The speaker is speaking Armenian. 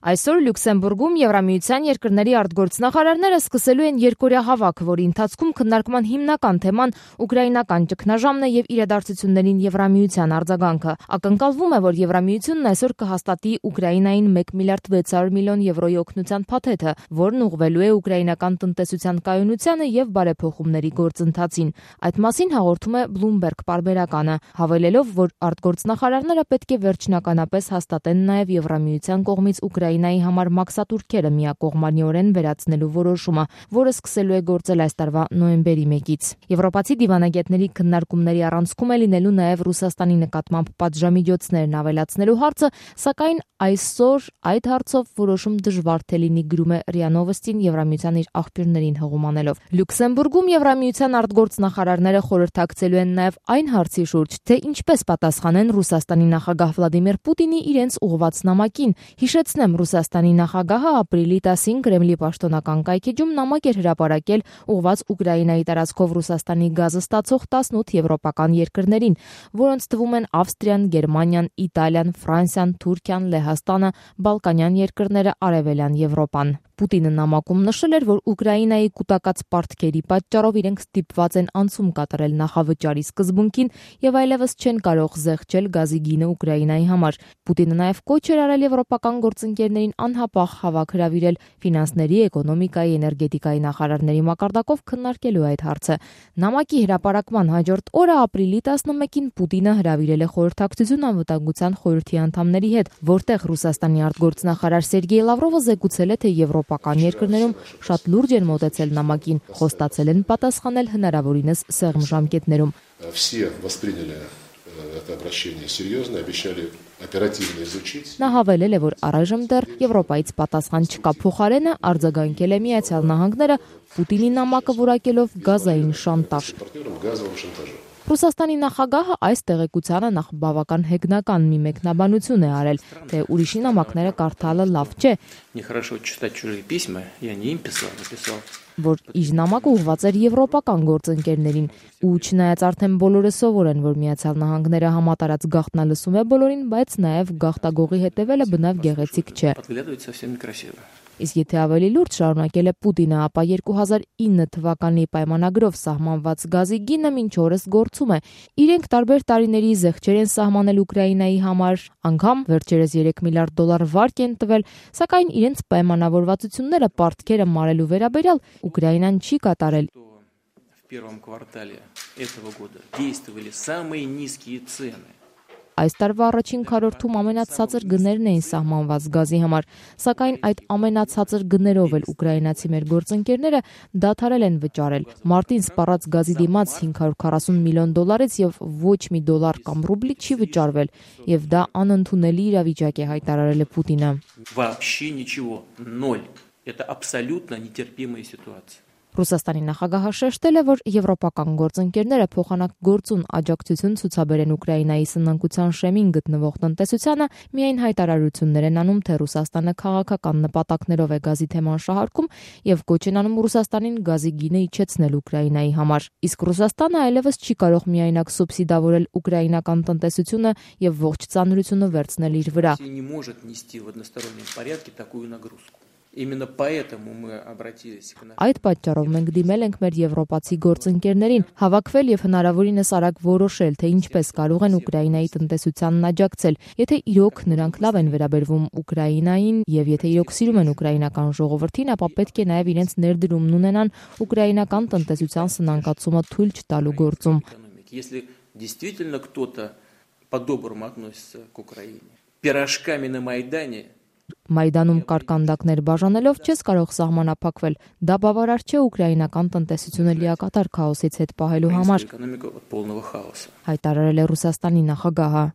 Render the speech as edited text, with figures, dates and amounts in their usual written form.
Այսօր Լյուքսեմբուրգում Եվրամիության երկրների արտգործնախարարները սկսելու են երկօրյա հավաք, որի ընթացքում քննարկման հիմնական թեման ուկրաինական ճգնաժամն է եւ իրադարձություններին Եվրամիության արձագանքը։ Ակնկալվում է, որ Եվրամիությունն այսօր կհաստատի Ուկրաինային 1 միլիարդ 600 միլիոն եվրոյի օգնության փաթեթը, որն ուղղվելու է ուկրաինական տնտեսության կայունությանը եւ բարեփոխումների գործընթացին։ Այդ մասին հաղորդում է Bloomberg պարբերականը, հավելելով, որ արտգործնախարարները պետք է վերջնականապես հաստատեն նաեւ Եվրամիության կողմից Ուկրաինայի համար մաքսատուրքերը միակողմանիորեն վերացնելու որոշումը, որը սկսելու է գործել այս տարվա նոյեմբերի 1-ից։ Եվրոպացի դիվանագետների քննարկումների առանցքում է լինելու նաև Ռուսաստանի նկատմամբ պատժամիջոցներն ավելացնելու հարցը, սակայն այսօր այդ հարցով որոշում դժվար թե լինի, գրում է ՌԻԱ Նովոստին Եվրամիության իր աղբյուրներին հղումանելով։ Լյուքսեմբուրգում Եվրամիության արտգործնախարարները խորհրդակցելու են նաև այն հարցի շուրջ, թե ինչպես պատասխանեն Ռուսաստանի նախագահ Վլադիմիր Պուտինի իրենց ուղղված նամակին։ Հիշեցնեմ, Ռուսաստանի նախագահը ապրիլի 10-ին Կրեմլի պաշտոնական կայքեջում նամակ էր հրապարակել ուղղված Ուկրաինայի տարածքով Ռուսաստանի գազը ստացող 18 եվրոպական երկրներին, որոնց թվում են Ավստրիան, Գերմանիան, Իտալիան, Ֆրանսիան, Թուրքիան, Լեհաստանը, Բալկանյան երկրները, Արևելյան Եվրոպան։ Պուտինը նամակում նշել էր, որ Ուկրաինայի կուտակած պարտքերի պատճառով իրենք ստիպված են անցում կատարել նախավճարի սկզբունքին եւ այլևս չեն կարող զեղչել գազի գինը Ուկրաինայի համար։ Պուտինը նաեւ կոչ էր արել եվրոպական գործընկերներին անհապաղ հավաք հրավիրել ֆինանսների, էկոնոմիկայի, էներգետիկայի նախարարների մակարդակով քննարկելու այդ հարցը։ Նամակի հրապարակման հաջորդ օրը ապրիլի 11-ին Պուտինը հրավիրել է խորհրդակցություն անվտանգության խորհրդի անդամների հետ, որտեղ Ռուսաստանի արտգործնախարար Սերգեյ Լավրովը զեկուցել է, թե եվրոպական երկրներում շատ լուրջ են մոտեցել նամակին, խոստացել են պատասխանել հնարավորինս սեղմ ժամկետներում։ Նա հավելել է, որ առայժմ դեռ Եվրոպայից պատասխան չկա, փոխարենը արձագանքել է Միացյալ Նահանգները Պուտինի նամակը որակելով գազային շանտաժ։ Ռուսաստանի նախագահը այս տեղեկությանը նախ բավական հեգնական մի մեկնաբանություն է արել, թե ուրիշի նամակները կարդալը լավ չէ, որ իր նամակը ուղղված էր եվրոպական գործընկերներին, ու չնայած արդեն բոլորը սովոր են, որ Միացյալ Նահանգները համատարած գաղտնալսում է բոլորին, բայց նաև գաղտագողի հետևելը բնավ գեղեցիկ չէ։ Իսկ եթե ավելի լուրջ շարունակել է Պուտինը, ապա 2009 թվականի պայմանագրով սահմանված գազի գինը մինչ օրս գործում է։ Իրենք տարբեր տարիների զեղչեր են սահմանել Ուկրաինայի համար, անգամ վերջերս 3 միլիարդ դոլար վարկ են տվել, սակայն իրենց պայմանավորվածությունները պարտքերը մարելու վերաբերյալ Ուկրաինան չի կատարել։ Այս տարվա առաջին քառորդում ամենացածր գներն էին սահմանված գազի համար, սակայն այդ ամենացածր գներով էլ ուկրաինացի մեր գործընկերները դադարել են վճարել։ Մարտին սպառած գազի դիմաց 540 միլիոն դոլարից եւ ոչ մի դոլար կամ ռուբլի չի վճարվել, եւ դա անընդունելի իրավիճակ է, հայտարարել է Պուտինը։ Ռուսաստանի նախագահը շեշտել է, որ եվրոպական գործընկերները փոխանակ գործուն աջակցություն ցուցաբերեն Ուկրաինայի սնանկության շեմին գտնվող տնտեսությանը, միայն հայտարարություններ են անում, թե Ռուսաստանը քաղաքական նպատակներով է գազի թեման շահարկում եւ կոչ են անում Ռուսաստանին գազի գինը իջեցնել Ուկրաինայի համար։ Իսկ Ռուսաստանը այլևս չի կարող միայնակ սուբսիդավորել ուկրաինական տնտեսությունը եւ ողջ ծանրությունը վերցնել իր վրա։ Այդ պատճառով մենք դիմել ենք մեր եվրոպացի գործընկերներին հավաքվել եւ հնարավորինս արագ որոշել, թե ինչպես կարող են Ուկրաինայի տնտեսությանն աջակցել, եթե իրոք նրանք լավ են վերաբերվում Ուկրաինային եւ եթե իրոք սիրում են ուկրաինական ժողովրդին, ապա պետք է նաեւ իրենց ներդրումն ունենան ուկրաինական տնտեսության սնանկացումը թույլ չտալու գործում։ Մայդանում կարկանդակներ բաժանելով չես կարող սահմանափակվել, դա բավարար չէ ուկրաինական տնտեսությունը լիակատար քաոսից հետ պահելու համար, հայտարարել է Ռուսաստանի նախագահը։